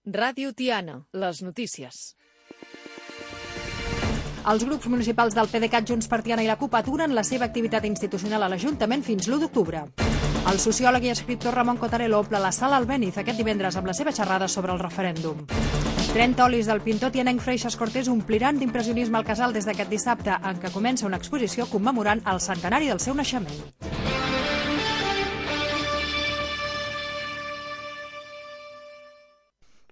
Ràdio Tiana, les notícies. Els grups municipals del PDeCAT, Junts per Tiana i la CUP aturen la seva activitat institucional a l'Ajuntament fins l'1 d'octubre. El sociòleg i escriptor Ramon Cotarello omple la sala Albéniz aquest divendres amb la seva xerrada sobre el referèndum. 30 olis del pintor tianenc Freixas Cortés ompliran d'impressionisme el casal des d'aquest dissabte, en què comença una exposició commemorant el centenari del seu naixement.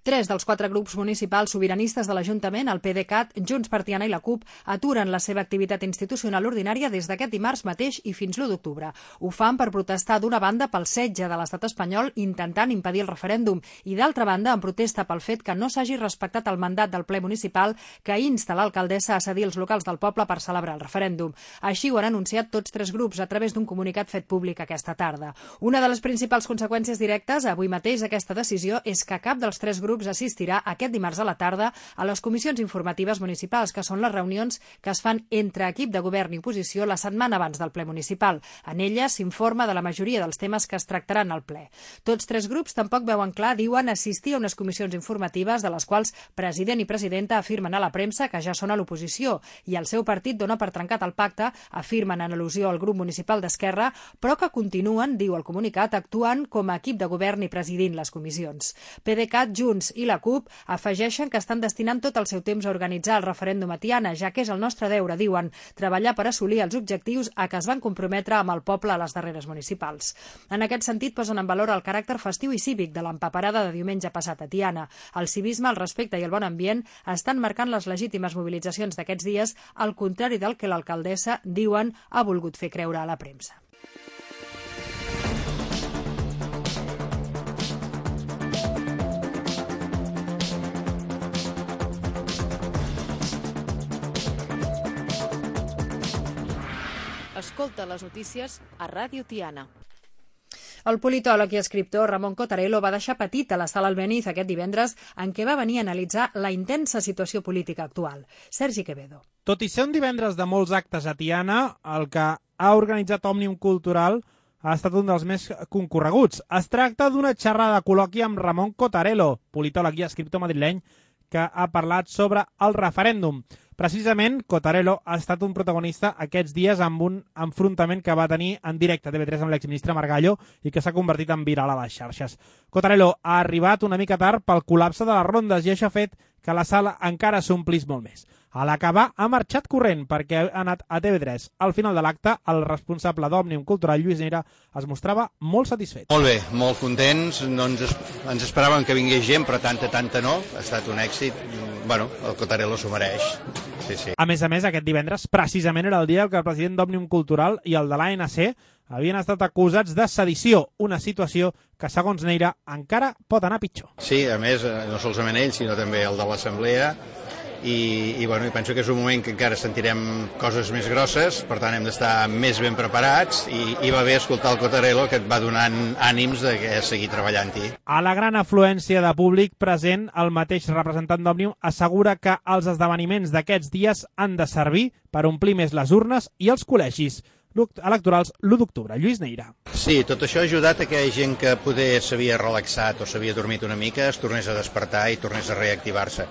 Tres dels 4 grups municipals sobiranistes de l'Ajuntament, el PDeCAT, Junts per Tiana i la CUP, aturen la seva activitat institucional ordinària des d'aquest dimarts mateix i fins l'1 d'octubre. Ho fan per protestar d'una banda pel setge de l'estat espanyol intentant impedir el referèndum i d'altra banda en protesta pel fet que no s'hagi respectat el mandat del ple municipal que insta l'alcaldessa a cedir els locals del poble per celebrar el referèndum. Així ho han anunciat tots 3 grups a través d'un comunicat fet públic aquesta tarda. Una de les principals conseqüències directes avui mateix d'aquesta decisió és que cap dels 3 grups assistirà aquest dimarts a la tarda a les comissions informatives municipals, que són les reunions que es fan entre equip de govern i oposició la setmana abans del ple municipal. En elles s'informa de la majoria dels temes que es tractaran al ple. Tots 3 grups tampoc veuen clar, diuen, assistir a unes comissions informatives de les quals president i presidenta afirmen a la premsa que ja són a l'oposició i el seu partit dona per trencat el pacte, afirmen en al·lusió al grup municipal d'Esquerra, però que continuen, diu el comunicat, actuant com a equip de govern i presidint les comissions. PDeCAT, Junts i la CUP afegeixen que estan destinant tot el seu temps a organitzar el referèndum a Tiana, ja que és el nostre deure, diuen, treballar per assolir els objectius a què es van comprometre amb el poble a les darreres municipals. En aquest sentit, posen en valor el caràcter festiu i cívic de l'empaperada de diumenge passat a Tiana. El civisme, el respecte i el bon ambient estan marcant les legítimes mobilitzacions d'aquests dies, al contrari del que l'alcaldessa, diuen, ha volgut fer creure a la premsa. Escolta les notícies a Ràdio Tiana. El politòleg i escriptor Ramon Cotarello va deixar petit a la sala Albéniz aquest divendres en què va venir a analitzar la intensa situació política actual. Sergi Quevedo. Tot i ser un divendres de molts actes a Tiana, el que ha organitzat Òmnium Cultural ha estat un dels més concorreguts. Es tracta d'una xerrada col·loqui amb Ramon Cotarello, politòleg i escriptor madrileny, que ha parlat sobre el referèndum. Precisament, Cotarello ha estat un protagonista aquests dies amb un enfrontament que va tenir en directe a TV3 amb l'exministre Margallo i que s'ha convertit en viral a les xarxes. Cotarello ha arribat una mica tard pel col·lapse de les rondes i això ha fet que la sala encara s'omplís molt més. A l'acabar ha marxat corrent perquè ha anat a TV3. Al final de l'acte, el responsable d'Òmnium Cultural, Lluís Neira, es mostrava molt satisfet. Molt bé, molt contents. No ens esperàvem que vingués gent, però tanta no. Ha estat un èxit. Bueno, el Cotarello s'ho mereix. Sí. A més, aquest divendres precisament era el dia que el president d'Òmnium Cultural i el de l'ANC havien estat acusats de sedició, una situació que, segons Neira, encara pot anar pitjor. Sí, a més, no solament ell, sinó també el de l'Assemblea, i penso que és un moment que encara sentirem coses més grosses, per tant hem d'estar més ben preparats i va bé escoltar el Cotarello, que et va donant ànims de seguir treballant-hi. A la gran afluència de públic present, el mateix representant d'Òmnium assegura que els esdeveniments d'aquests dies han de servir per omplir més les urnes i els col·legis electorals l'1 d'octubre. Lluís Neira. Sí, tot això ha ajudat a que gent que poder s'havia relaxat o s'havia dormit una mica es tornés a despertar i tornés a reactivar-se.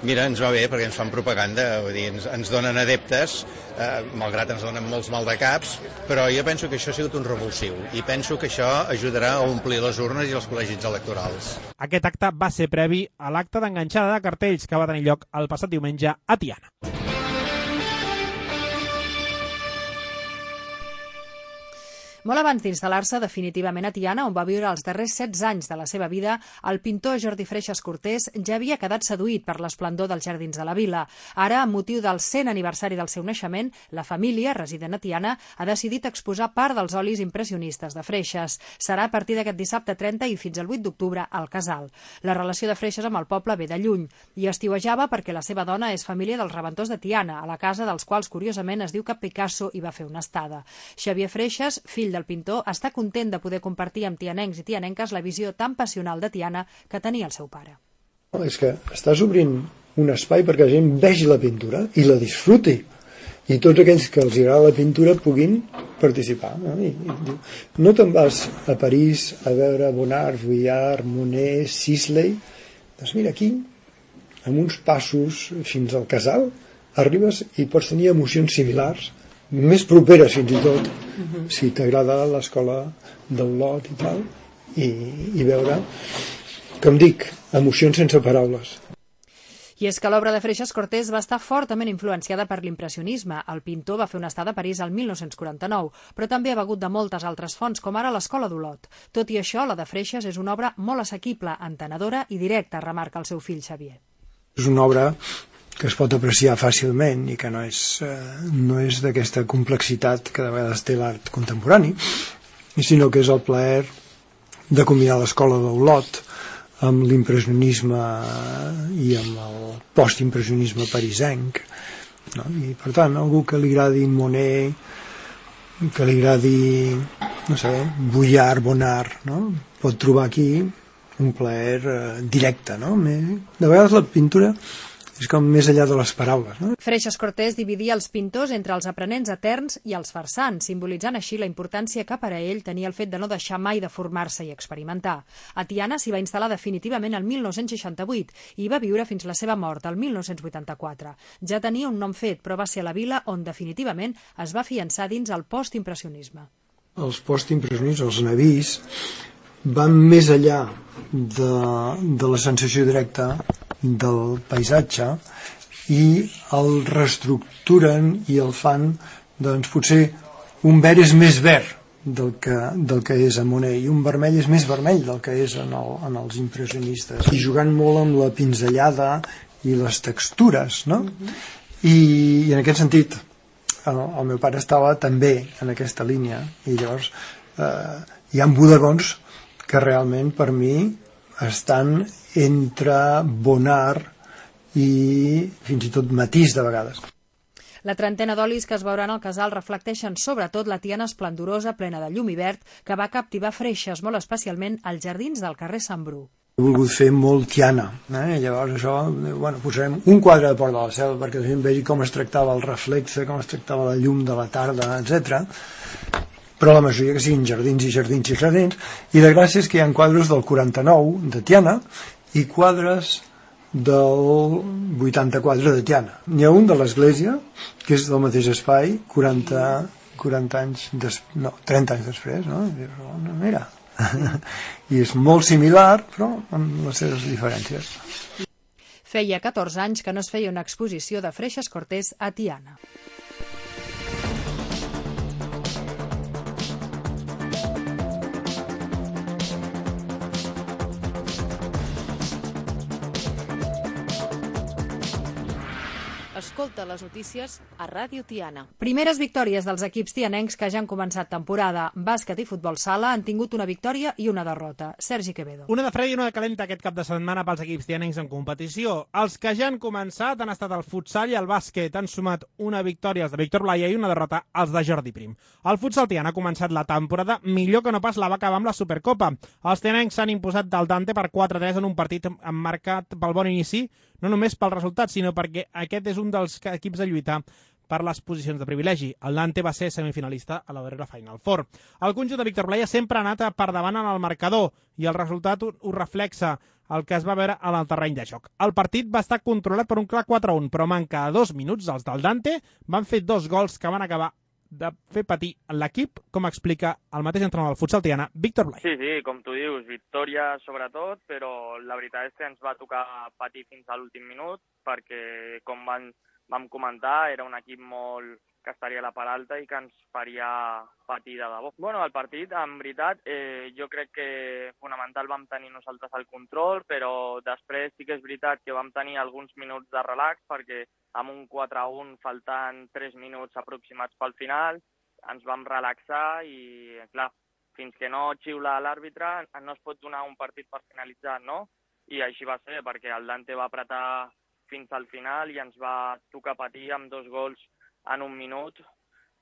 Mira, ens va bé perquè ens fan propaganda, vull dir, ens donen adeptes, malgrat ens donen molts maldecaps, però jo penso que això ha sigut un revulsiu i penso que això ajudarà a omplir les urnes i els col·legis electorals. Aquest acte va ser previ a l'acte d'enganxada de cartells que va tenir lloc el passat diumenge a Tiana. Molt abans d'instal·lar-se definitivament a Tiana, on va viure els darrers 16 anys de la seva vida, el pintor Jordi Freixas Cortés ja havia quedat seduït per l'esplendor dels jardins de la vila. Ara, amb motiu del 100 aniversari del seu naixement, la família, resident a Tiana, ha decidit exposar part dels olis impressionistes de Freixas. Serà a partir d'aquest dissabte 30 i fins al 8 d'octubre al Casal. La relació de Freixas amb el poble ve de lluny i estiuejava perquè la seva dona és família dels Reventós de Tiana, a la casa dels quals, curiosament, es diu que Picasso hi va fer una estada. Xavier Freixas, fill del pintor, està content de poder compartir amb tianencs i tianenques la visió tan passional de Tiana que tenia el seu pare. És que estàs obrint un espai perquè la gent vegi la pintura i la disfruti. I tots aquells que els agrada la pintura puguin participar. No te'n vas a París a veure Bonnard, Vuillard, Monet, Sisley Doncs mira, aquí, amb uns passos fins al casal, arribes i pots tenir emocions similars, més properes fins i tot, si t'agrada l'escola d'Olot i tal, i veure, com dic, emocions sense paraules. I és que l'obra de Freixas Cortés va estar fortament influenciada per l'impressionisme. El pintor va fer una estada a París el 1949, però també ha begut de moltes altres fonts, com ara l'Escola d'Olot. Tot i això, la de Freixas és una obra molt assequible, entenedora i directa, remarca el seu fill Xavier. És una obra que es pot apreciar fàcilment i que no és d'aquesta complexitat que de vegades té l'art contemporani, sinó que és el plaer de combinar l'Escola d'Olot amb l'impressionisme i amb el postimpressionisme parisenc, no? I per tant, algú que li agradi Monet, que li agradi, no sé, Vuillard, Bonnard, no? Pot trobar aquí un plaer directe, no? De vegades la pintura és com més enllà de les paraules, no? Freixas Cortés dividia els pintors entre els aprenents eterns i els farsants, simbolitzant així la importància que per a ell tenia el fet de no deixar mai de formar-se i experimentar. A Tiana s'hi va instal·lar definitivament el 1968 i va viure fins la seva mort el 1984. Ja tenia un nom fet, però va ser la vila on definitivament es va afiançar dins el postimpressionisme. Els postimpressionistes, els navís, van més enllà de la sensació directa del paisatge i el reestructuren i el fan, doncs potser un verd és més verd del que és a Monet i un vermell és més vermell del que és en els impressionistes, i jugant molt amb la pinzellada i les textures, no? I en aquest sentit el meu pare estava també en aquesta línia, i llavors hi ha bodegons que realment per mi estan entre Bonnard i fins i tot Matisse de vegades. La trentena d'olis que es veuran al casal reflecteixen sobretot la Tiana esplendorosa, plena de llum i verd, que va captivar Freixas molt especialment als jardins del carrer Sant Bru. He volgut fer molt Tiana, llavors això, posarem un quadre de Port de la Selva perquè la gent vegi com es tractava el reflexe, com es tractava la llum de la tarda, etc. Però la majoria que siguin jardins i jardins i jardins, i de gràcia és que hi ha quadres del 49 de Tiana i quadres del 84 de Tiana. N'hi ha un de l'església, que és del mateix espai, 30 anys 30 anys després, no? Mira, i és molt similar, però amb les seves diferències. Feia 14 anys que no es feia una exposició de Freixas Cortés a Tiana. Escolta les notícies a Ràdio Tiana. Primeres victòries dels equips tianencs que ja han començat temporada. Bàsquet i futbol sala han tingut una victòria i una derrota. Sergi Quevedo. Una de freda i una de calenta aquest cap de setmana pels equips tianencs en competició. Els que ja han començat han estat el futsal i el bàsquet. Han sumat una victòria els de Víctor Blaya i una derrota els de Jordi Prim. El futsal tiana ha començat la temporada millor que no pas la va acabar amb la Supercopa. Els tianencs s'han imposat del Dante per 4-3 en un partit emmarcat pel bon inici, no només pel resultat, sinó perquè aquest és un dels equips a lluitar per les posicions de privilegi. El Dante va ser semifinalista a la darrera Final Four. El conjunt de Víctor Blaya sempre ha anat per davant en el marcador i el resultat ho reflexa el que es va veure en el terreny de joc. El partit va estar controlat per un clar 4-1, però manca 2 minuts. Els del Dante van fer 2 gols que van acabar de fer patir l'equip, com explica el mateix entrenador del futsal tiana, Víctor Blay. Sí, com tu dius, victòria sobretot, però la veritat és que ens va tocar patir fins a l'últim minut, perquè, com vam comentar, era un equip que estaria a la part alta i que ens faria patir de debò. Bueno, el partit, en veritat, jo crec que fonamental vam tenir nosaltres el control, però després sí que és veritat que vam tenir alguns minuts de relax, perquè amb un 4-1 faltant 3 minuts aproximats pel final, ens vam relaxar i, clar, fins que no xiula l'àrbitre no es pot donar un partit per finalitzat, no? I així va ser, perquè el Dante va apretar fins al final i ens va tocar patir amb 2 gols en un minut,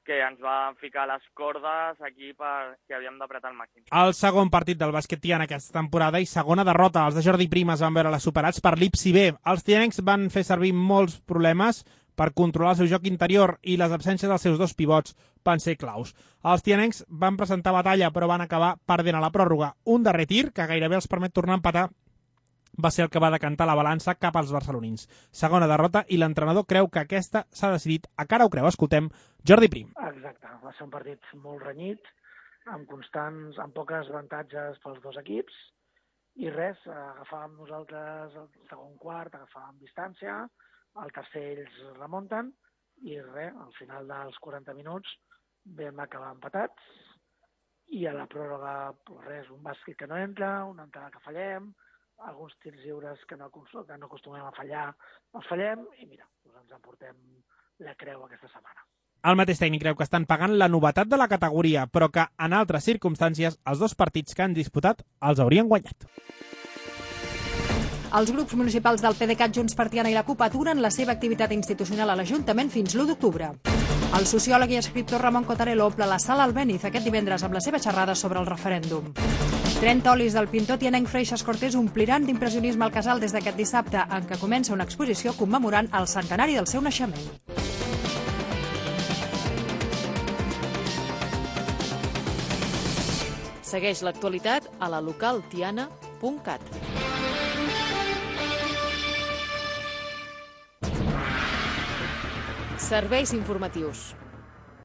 que ens va ficar les cordes aquí perquè havíem d'apretar el màxim. El segon partit del bàsquet tiana aquesta temporada i segona derrota. Els de Jordi Prim es van veure superats per l'Ipsi B. Els tianencs van fer servir molts problemes per controlar el seu joc interior i les absències dels seus 2 pivots van ser claus. Els tianencs van presentar batalla però van acabar perdent a la pròrroga. Un darrer tir que gairebé els permet tornar a empatar va ser el que va decantar la balança cap als barcelonins. Segona derrota i l'entrenador creu que aquesta s'ha decidit a cara o creu. Escoltem Jordi Prim. Exacte, va ser un partit molt renyit, amb poques avantatges pels dos equips, i res, agafàvem nosaltres el segon quart, agafàvem distància, al tercer ells remunten, i res, al final dels 40 minuts vam acabar empatats, i a la pròrroga, res, un bàsquet que no entra, una entrada que fallem, alguns tirs lliures que no acostumem a fallar, els fallem, i mira, ens emportem la creu aquesta setmana. El mateix tècnic creu que estan pagant la novetat de la categoria, però que en altres circumstàncies els dos partits que han disputat els haurien guanyat. Els grups municipals del PDeCAT, Junts per Tiana i la CUP aturen la seva activitat institucional a l'Ajuntament fins l'1 d'octubre. El sociòleg i escriptor Ramon Cotarello omple la sala Albéniz aquest divendres amb la seva xerrada sobre el referèndum. 30 olis del pintor tianenc Freixas Cortés ompliran d'impressionisme el casal des d'aquest dissabte, en què comença una exposició commemorant el centenari del seu naixement. Segueix l'actualitat a la localtiana.cat. Serveis informatius.